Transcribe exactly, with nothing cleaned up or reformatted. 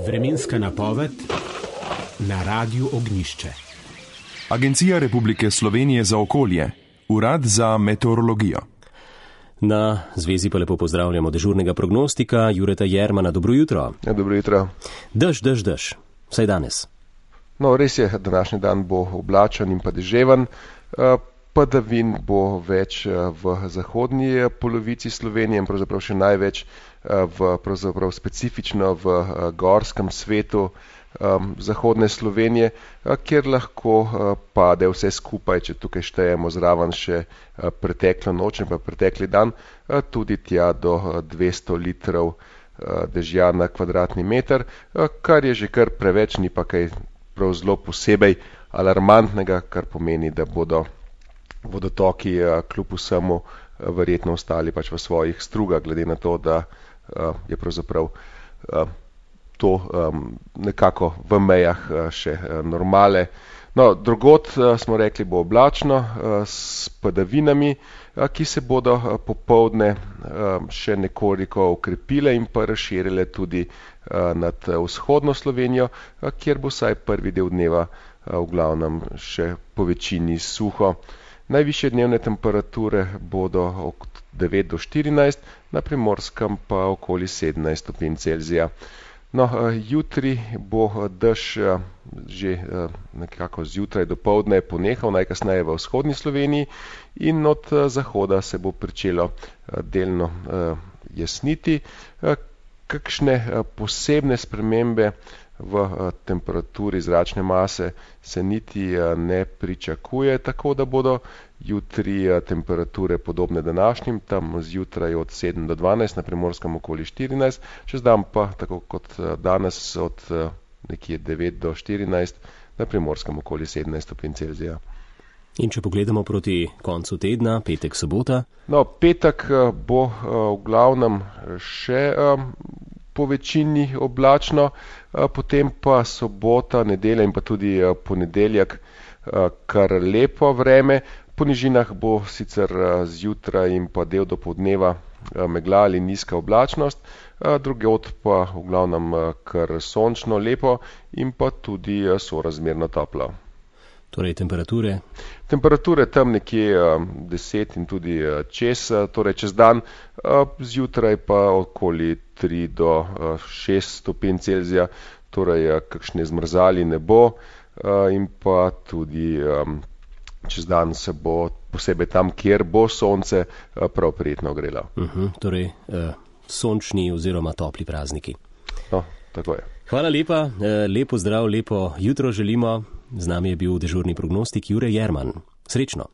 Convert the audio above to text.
Vremenska napoved na Radiu Ognjišče. Agencija Republike Slovenije za okolje, Urad za meteorologijo. Na zvezi pa lepo pozdravljamo dežurnega prognostika Jureta Jermana. Dobro jutro. Ja, dobro jutro. Dež, dež, dež. Vsaj danes. No, res je, današnji dan bo oblačen in pa deževen. Padavin bo več v zahodnji polovici Slovenije in pravzaprav še največ v, pravzaprav specifično v gorskem svetu um, zahodne Slovenije, kjer lahko uh, pade vse skupaj, če tukaj štejemo zraven še uh, preteklo noč in pa pretekli dan, uh, tudi tja do uh, dvesto litrov uh, dežja na kvadratni meter, uh, kar je že kar preveč, ni pa kaj prav zelo posebej alarmantnega, kar pomeni, da bodo vodotoki uh, kljub vsemu uh, verjetno ostali pač v svojih strugah, glede na to, da uh, je pravzaprav uh, to um, nekako v mejah uh, še uh, normale. No, drugod uh, smo rekli, bo oblačno uh, s padavinami, uh, ki se bodo uh, popoldne uh, še nekoliko okrepile in pa razširile tudi uh, nad uh, vzhodno Slovenijo, uh, kjer bo vsaj prvi del dneva uh, v glavnem še po večini suho. Najvišje dnevne temperature bodo od devet do štirinajst, na Primorskem pa okoli sedemnajst stopinj Celzija. No, jutri bo dež že nekako zjutraj do poldne ponehal, najkasneje v vzhodni Sloveniji, in od zahoda se bo pričelo delno jasniti. Kakšne posebne spremembe v temperaturi zračne mase se niti ne pričakuje, tako da bodo jutri temperature podobne današnjim, tam zjutraj od sedem do dvanajst, na Primorskem okoli štirinajst, čez dan pa, tako kot danes, od nekje devet do štirinajst, na Primorskem okoli sedemnajst stopinj Celzija. In če pogledamo proti koncu tedna, petek, sobota? No, petek bo v glavnem še po večini oblačno, potem pa sobota, nedelja in pa tudi ponedeljek kar lepo vreme. Po nižinah bo sicer zjutraj in pa del dopoldneva megla ali nizka oblačnost, drugod pa v glavnem kar sončno, lepo in pa tudi sorazmerno toplo. Torej temperature? Temperature tam nekje deset in tudi čez, torej čez dan, zjutraj pa okoli tri do šest stopinj Celzija, torej kakšne zmrzali ne bo, in pa tudi čez dan se bo posebej tam, kjer bo sonce, prav prijetno ogrelo. Uh-huh, torej uh, sončni oziroma topli prazniki. No, tako je. Hvala lepa, lepo zdrav, lepo jutro želimo. Z nami je bil dežurni prognostik Jure Jerman. Srečno!